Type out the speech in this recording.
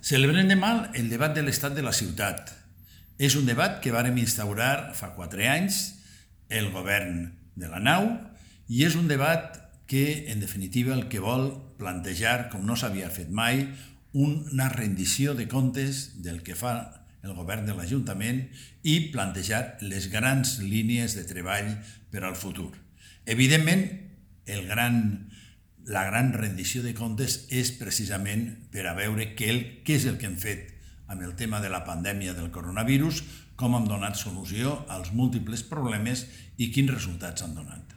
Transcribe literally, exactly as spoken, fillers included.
Celebrem demà el debat de l'estat de la ciutat. És un debat que vàrem instaurar fa quatre anys el govern de la nau i és un debat que, en definitiva, el que vol plantejar, com no s'havia fet mai, una rendició de comptes del que fa el govern de l'Ajuntament i plantejar les grans línies de treball per al futur. Evidentment, el gran, la gran rendició de comptes és precisament per a veure què, el, què és el que hem fet amb el tema de la pandèmia del coronavirus, com hem donat solució als múltiples problemes i quins resultats han donat.